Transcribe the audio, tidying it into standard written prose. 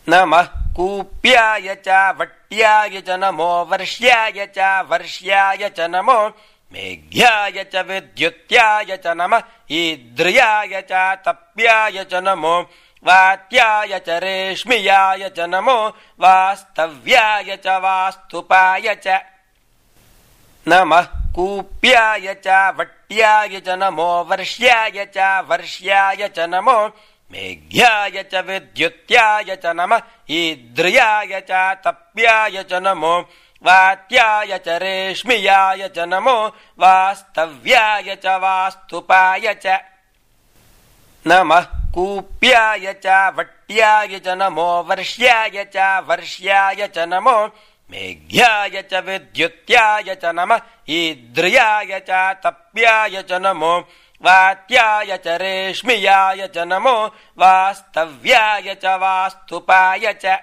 नमः कूप्याय च वट्याय च नमो वर्ष्याय च वर्ष्याय च नमो मेघ्याय च विद्युत्याय च नमः ईद्रियाय च तप्याय च नमो वात्याय च रेश्मियाय च नमो वास्तव्याय च वास्तुपाय च नमः कूप्याय च वट्याय च नमो वर्ष्याय च वर्ष्याय च नमो मेघ्याय च विद्युत्याय च नमः ईद्रियाय च तप्याय च नमो वात्याय च रेश्मियाय च नमो वास्तव्याय च वास्तुपाय च नमः कूप्याय च वट्याय च नमो वर्ष्याय च वर्ष्याय च नमो मेघ्याय च विद्युत्याय च नमः ईद्रियाय च तप्याय च नमो वात्याय च रेश्मियाय च नमो वास्तव्याय च वास्तुपाय च